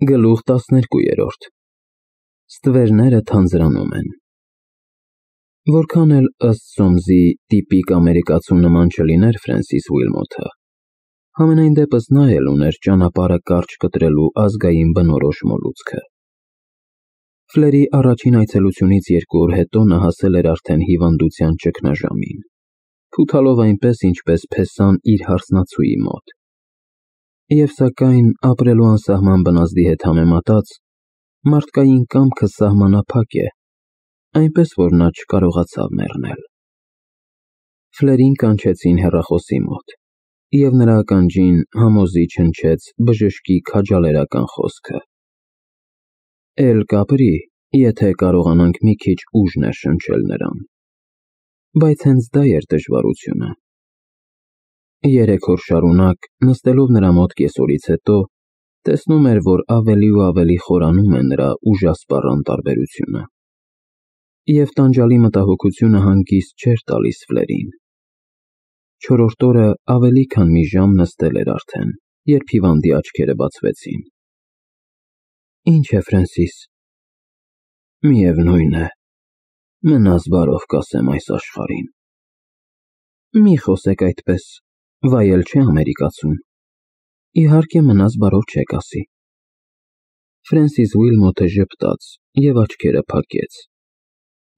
Գլուխ 12 Ստվերները թանձրանում են։ Որքան էլ ըստ Սոմսի տիպիկ ամերիկացու նման չլիներ Ֆրենսիս Ուիլմոթը, համենայն դեպս նա էլ ուներ ճանապարհը կարճ կտրելու ազգային բնորոշ մոլուցքը։ Ֆլերի առաջին այցելությունից 2 օր հետո նա հասել էր արդեն հիվանդության ճգնաժամին, փութալով այնպես, ինչպես փեսան իր հարսնացուի մոտ։ Եվ սակայն ապրելու անսահման բնազդի հետ համեմատած, մարդկային կամքը սահմանափակ է, այնպես որ նա չկարողացավ մեռնել։ Ֆլերին կանչեցին հեռախոսի մոտ, և նրա ականջին համոզիչ հնչեց բժշկի քաջալերական խոսքը. Էլ կապրի, եթե կարողանանք մի քիչ ուժ ներշնչել նրան։ Բայց հենց դա էր դժվարությունը։ 3 օր շարունակ, նստելով նրա մոտ կեսօրից հետո, տեսնում էր, որ ավելի ու ավելի խորանում է նրա ուժասպառ անտարբերությունը։ Եվ տանջալի մտահոգությունը հանգիստ չէր տալիս Ֆլերին։ 4-րդ օրը ավելի քան մի ժամ նստել էր արդեն, երբ հիվանդի աչքերը բացվեցին։ Ինչ է, Ֆրենսիս։ Միևնույն է, մնաս բարով կասեմ այս աշխարհին։ Մի խոսեք այդպես, վայել չէ ամերիկացուն։ Իհարկե մնաս բարով չեք ասի։ Ֆրենսիս Ուիլմոթը ժպտաց և աչքերը փակեց,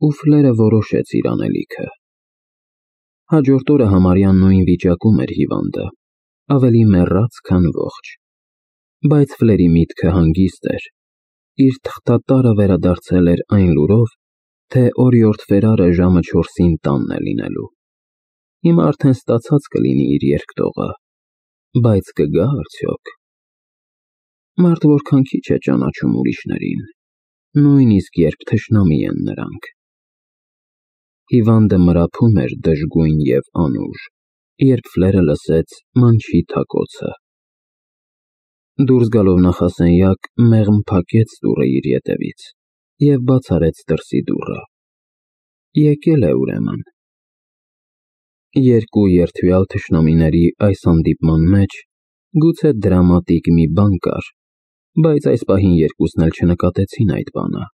ու Ֆլերը որոշեց իր անելիքը։ Հաջորդ օրը համարյա նույն վիճակում էր հիվանդը, ավելի մեռած, քան ողջ։ Բայց Ֆլերի միտքը հանգիստ էր, իր թղթատարը վերադարձել էր այն լուրով, թե օրիորդ Ֆերարը ժամը 4-ին տանն է լինելու։ Հիմա արդեն ստացած կլինի իր երկտողը, բայց կգա արդյոք։ Մարդ որքան քիչ է ճանաչում ուրիշներին, նույնիսկ երբ թշնամի են նրանք։ Հիվանդը մրափում էր դժգույն և անուժ, երբ Ֆլերը լսեց մանչի թակոցը։ Դուրս գալով նախասենյակ, մեղմ փակեց դուռը իր ետևից և բաց արեց դրսի դուռը։ Եկել է ուրեմն։ Երկու երդվյալ թշնամիների այս հանդիպման մեջ գուցե դրամատիկ մի բան կար, բայց այս պահին երկուսն էլ չնկատեցին այդ բանը։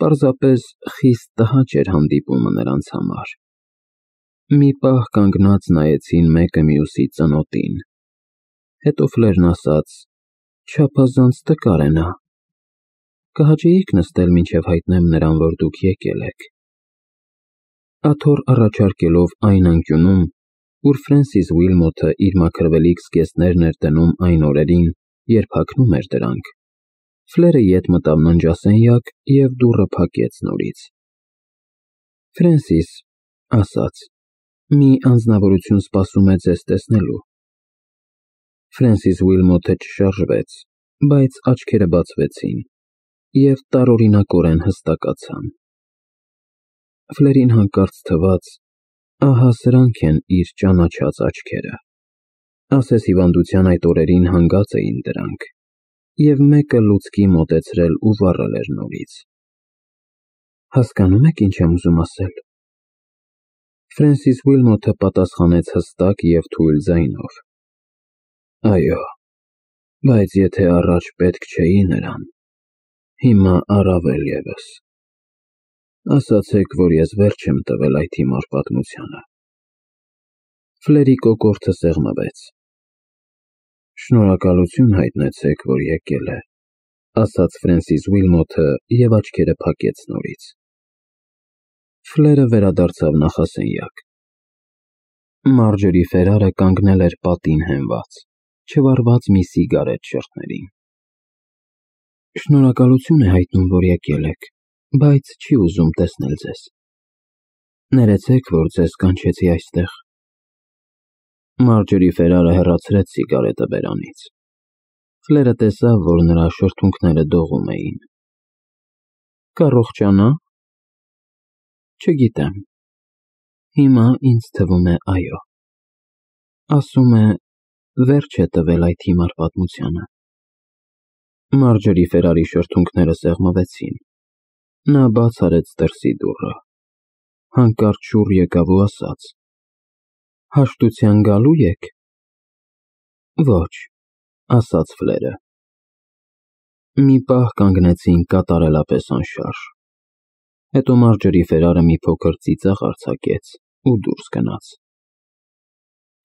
Պարզապես խիստ տհաճ էր հանդիպումը նրանց համար։ Մի պահ կանգնած նայեցին մեկը մյուսի ծնոտին։ Հետո Ֆլերն ասաց. Չափազանց տկար է նա։ Կհաճեիք նստել մինչև հայտնեմ նրան, որ դուք եկել եք։ Աթոռ առաջարկելով այն անկյունում, ուր Ֆրենսիս Ուիլմոթը իր մաքրվելիք զգեստներն էր դնում այն օրերին, երբ հագնում էր դրանք, Ֆլերը ետ մտավ ննջասենյակ և դուռը փակեց նորից։ Ֆրենսիս, ասաց, մի անձնավորություն սպասում է ձեզ տեսնելու։ Ֆրենսիս Ուիլմոթը չշարժվեց, բայց աչքերը բացվեցին և տարօրինակորեն հստակացան։ Ֆլերին հանկարծ թվաց. ահա սրանք են իր ճանաչած աչքերը։ Ասես հիվանդության այդ օրերին հանգած էին դրանք, և մեկը լուցկի մոտեցրել ու վառել էր նորից։ Հասկանո՞ւմ եք, ինչ եմ ուզում ասել։ Ֆրենսիս Ուիլմոթը պատասխանեց հստակ և թույլ ձայնով. Այո, բայց եթե առաջ պետք չէի նրան, հիմա առավել ևս։ Ասացեք, որ ես վերջ եմ տվել այդ հիմար պատմությանը։ Ֆլերի կոկորդը սեղմվեց։ Շնորհակալություն հայտնեցեք, որ եկել է, ասաց Ֆրենսիս Ուիլմոթը և աչքերը փակեց նորից։ Ֆլերը վերադարձավ նախասենյակ։ Մարջորի Ֆերարը կանգնել էր պատին հենված, չվառված մի սիգարետ շրթներին։ Շնորհակալություն է հայտնում, որ եկել եք, բայց չի ուզում տեսնել ձեզ։ Ներեցեք, որ ձեզ կանչեցի այստեղ։ Մարջորի Ֆերարը հեռացրեց սիգարետը բերանից։ Ֆլերը տեսավ, որ նրա շրթունքները դողում էին։ Կառողջանա՞։ Չգիտեմ։ Հիմա ինձ թվում է այո։ Ասում է, վերջ է տվել այդ հիմար պատմությանը։ Մարջորի Ֆերարի շրթունքները սեղմվեցին։ Նա բաց արեց դրսի դուռը։ Հանկարծ շուռ եկավ ու ասաց. Հաշտության գալո՞ւ եք։ Ոչ, ասաց Ֆլերը։ Մի պահ կանգնեցին կատարելապես անշարժ։ Հետո Մարջերի Ֆերարը մի փոքր ծիծաղ արձակեց ու դուրս գնաց։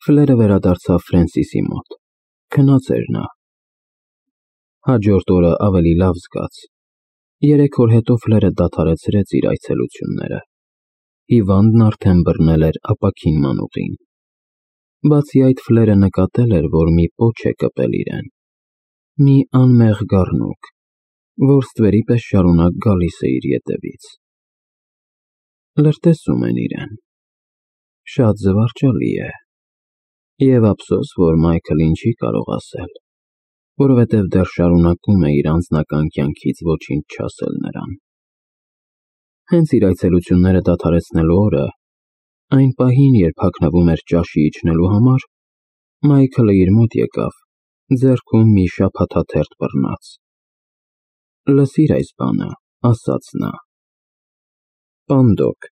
Ֆլերը վերադարձավ Ֆրենսիսի մոտ։ Քնած էր նա։ Հաջորդ օրը ավելի լավ զգաց։ 3 օր հետո Ֆլերը դադարեցրեց իր այցելությունները։ Հիվանդն արդեն բռնել էր ապակին մանուղին։ Բացի այդ, Ֆլերը նկատել էր, որ մի պոչ է կպել իրեն։ Մի անմեղ գառնուկ, որ ստվերի պես շարունակ գալիս է իր ետևից։ Լրտեսում են իրեն։ Շատ զվարճալի է։ Եվ ափսոս, որ Մայքլին չի կարող ասել, որովհետև դեռ շարունակում է իր անձնական կյանքից ոչինչ չասել նրան։ Հենց իր այցելությունները դադարեցնելու օրը, այն պահին, երբ հագնվում էր ճաշի իջնելու համար, Մայքլը իր մոտ եկավ, ձեռքում մի շաբաթաթերթ բռնած։ «Լսիր այս բանը», ասաց նա։ Պանդոկ։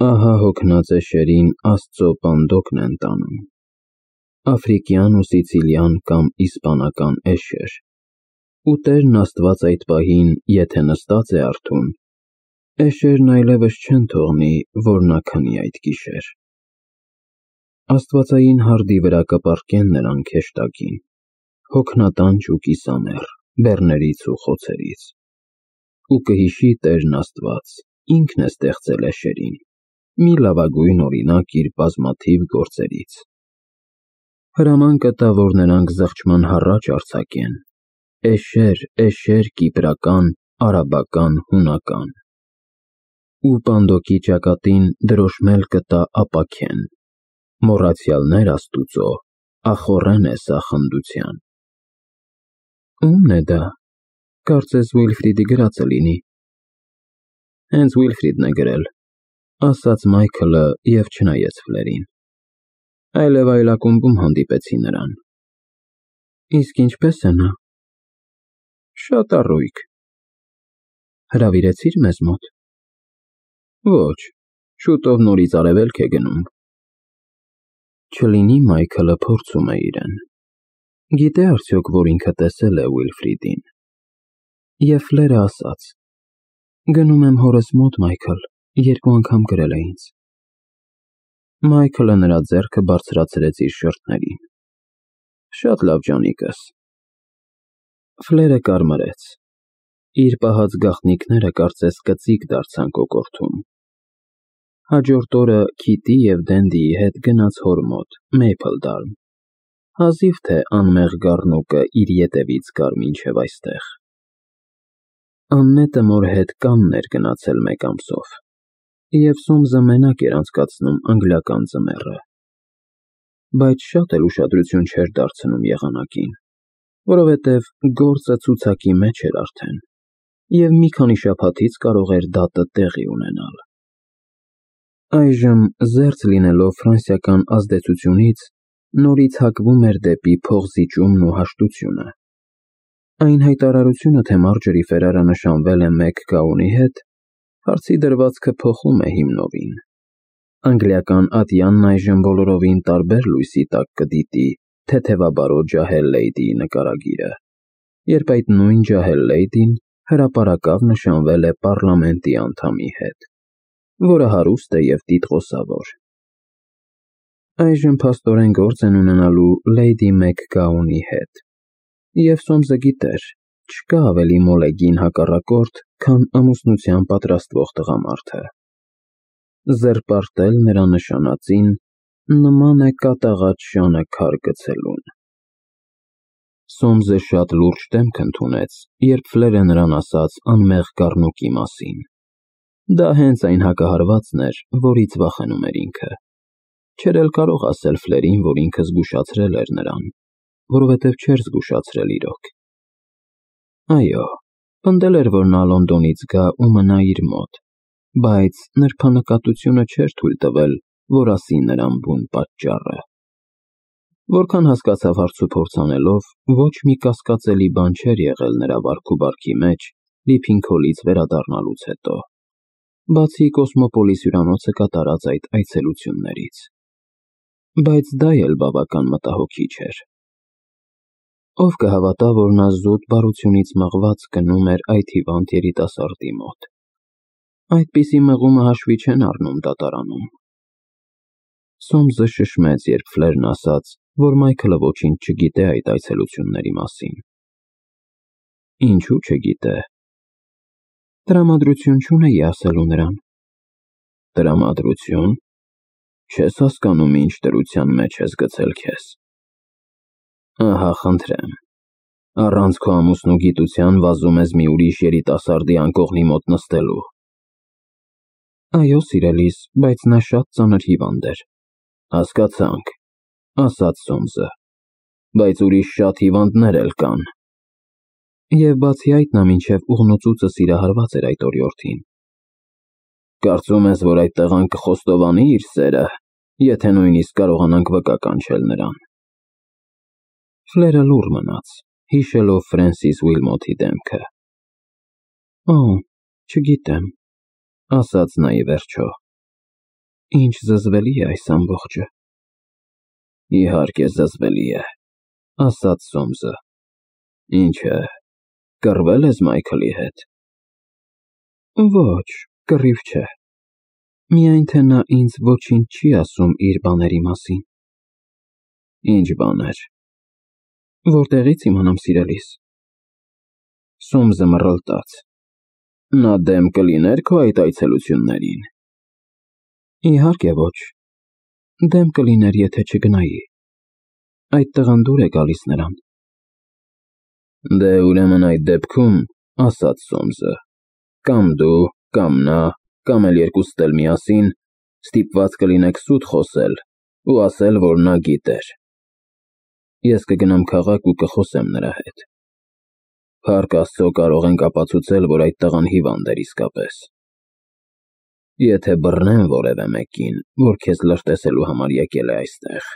Ահա հոգնած էշերին Աստծո պանդոկն են տանում։ Աֆրիկյան ու սիցիլյան կամ իսպանական էշեր։ Ու Տերն Աստված այդ պահին, եթե նստած է արթուն, էշերն այլևս չեն թողնի, որ նա քնի այդ գիշեր։ Աստվածային հարդի վրա կպառկեն նրանք հեշտակին, հոգնատանչ ու կիսամեռ, բեռներից ու խոցերից։ Ու կհիշի Տերն Աստված, ինքն է ստեղծել էշերին, մի լավագույն օրինակ իր բազմաթիվ գործերից։ Հրաման կտա, որ նրանք զղջման հառաչ արձակեն. «Էշեր, էշեր կիպրական, արաբական, հունական»։ Ու պանդոկի ճակատին դրոշմել կտա ապաքեն. «Մոռացյալներ Աստուծո, ախոռեն է սա խնդության»։ Ո՞ւմն է դա, կարծես Ուիլֆրիդի գրածը լինի։ Հենց Ուիլֆրիդն է գրել, ասաց Մայքլը և չնայեց Ֆլերին։ Այլև այլ ակումբում հանդիպեցի նրան։ Իսկ ինչպե՞ս է նա։ Շատ առույգ։ Հրավիրեցի՞ր մեզ մոտ։ Ոչ, շուտով նորից արևելք է գնում։ Չլինի Մայքլը փորձում է իրեն։ Գիտե արդյոք, որ ինքը տեսել է Ուիլֆրիդին։ Եվ Ֆլերը ասաց. Գնում եմ հորս մոտ, Մայքլ, 2 անգամ գրել է ինձ։ Մայքլը նրա ձեռքը բարձրացրեց իր շրթներին։ Շատ լավ ջանիկս։ Ֆլերը կարմրեց։ Իր պահած գաղտնիքները կարծես կծիկ դարձան կոկորդում։ Հաջորդ օրը Քիթի և Դենդիի հետ գնաց հոր մոտ, Մեյփլդարմ։ Հազիվ թե անմեղ գառնուկը իր ետևից գար մինչև այստեղ։ Աննետը մոր հետ Կանն էր գնացել 1 ամսով, և Սոմսը մենակ էր անցկացնում անգլիական ձմեռը։ Բայց շատ էլ ուշադրություն չէր դարձնում եղանակին, որովհետև գործը ցուցակի մեջ էր արդեն, և մի քանի շաբաթից կարող էր դատը տեղի ունենալ։ Այժմ, զերծ լինելով ֆրանսիական ազդեցությունից, նորից հակվում էր դեպի փողզիջումն ու հաշտությունը։ Այն հայտարարությունը, թե Մարջերի Ֆերարը նշանվել է մեկ գաունի հետ, հարցի դրվածքը փոխում է հիմնովին։ Անգլիական ատյանն այժմ բոլորովին տարբեր լույսի տակ կդիտի թեթևաբարո ջահել լեյդիի նկարագիրը, երբ այդ նույն ջահել լեյդին հրապարակավ նշանվել է պառլամենտի անդամի հետ, որը հարուստ է և տիտղոսավոր։ Այժմ փաստորեն գործ են ունենալու լեյդի Մեքգաունի հետ, և Սոմսը գիտեր, չկա ավելի մոլեգին հակառակորդ, քան ամուսնության պատրաստվող տղամարդը։ Զրպարտել նրա նշանածին նման է կատաղած շանը քար գցելուն։ Սոմսը շատ լուրջ դեմք ընդունեց, երբ Ֆլերը նրան ասաց անմեղ գառնուկի մասին։ Դա հենց այն հակահարվածն էր, որից վախենում էր ինքը։ Չէր էլ կարող ասել Ֆլերին, որ ինքը զգուշացրել էր նրան, որովհետև չէր զգուշացրել իրոք։ Այո, պնդել էր, որ նա Լոնդոնից գա ու մնա իր մոտ, բայց նրբանկատությունը չէր թույլ տվել, որ ասի նրան բուն պատճառը։ Որքան հասկացավ հարցուփորձ անելով, ոչ մի կասկածելի բան չէր եղել նրա վարքուբարքի մեջ Լիփինգհոլից վերադառնալուց հետո, բացի Կոսմոպոլիս հյուրանոցը կատարած այդ այցելություններից։ Բայց դա էլ բավական մտահոգիչ էր։ Ով կհավատա, որ նա զուտ բարությունից մղված գնում էր այդ հիվանդ երիտասարդի մոտ։ Այդպիսի մղումը հաշվի չեն առնում դատարանում։ Սոմսը շշմեց, երբ Ֆլերն ասաց, որ Մայքլը ոչինչ չգիտե այդ այցելությունների մասին։ Ինչու չգիտե։ Տրամադրություն չունեի ասելու նրան։ Տրամադրություն։ Չես հասկանում, ինչ դրության մեջ ես գցել քեզ։ Ահա, խնդրեմ, առանց քո ամուսնու գիտության վազում ես մի ուրիշ երիտասարդի անկողնի մոտ նստելու։ Այո, սիրելիս, բայց նա շատ ծանր հիվանդ էր։ Հասկացանք, ասաց Սոմսը, բայց ուրիշ շատ հիվանդներ էլ կան։ Եվ բացի այդ նա մինչև ուղնուծուցը սիրահարված էր այդ օրիորդին։ Կարծում ես, որ այդ տղան կխոստովանի իր սերը, եթե նույնիսկ կարողանանք վկա կանչել նրան։ Ֆլերը լուռ մնաց, հիշելով Ֆրենսիս Ուիլմոթի դեմքը։ Օ, չգիտեմ, ասաց նա ի վերջո։ Ինչ զզվելի է այս ամբողջը։ Իհարկե զզվելի է, ասաց Սոմսը։ Ինչ է, կռվել ես Մայքլի հետ։ Ոչ, կռիվ չէ։ Միայն թե նա ինձ ոչինչ չի ասում իր բաների մասին։ Ինչ բաներ։ Որտեղից իմանամ, սիրելիս։ Սոմսը մռլտաց։ Նա դեմ կլիներ քո այդ այցելություններին։ Իհարկե ոչ։ Դեմ կլիներ, եթե չգնայի։ Այդ տղան դուր է գալիս նրան։ Դե ուրեմն այդ դեպքում, ասաց Սոմսը, կամ դու, կամ նա, կամ էլ երկուսդ էլ միասին ստիպված կլինեք սուտ խոսել ու ասել, որ նա գիտեր։ Ես կգնամ քաղաք ու կխոսեմ նրա հետ։ Փառք Աստծո կարող ենք ապացուցել, որ այդ տղան հիվանդ էր իսկապես։ Եթե բռնեմ որևէ մեկին, որ քեզ լրտեսելու համար եկել է այստեղ,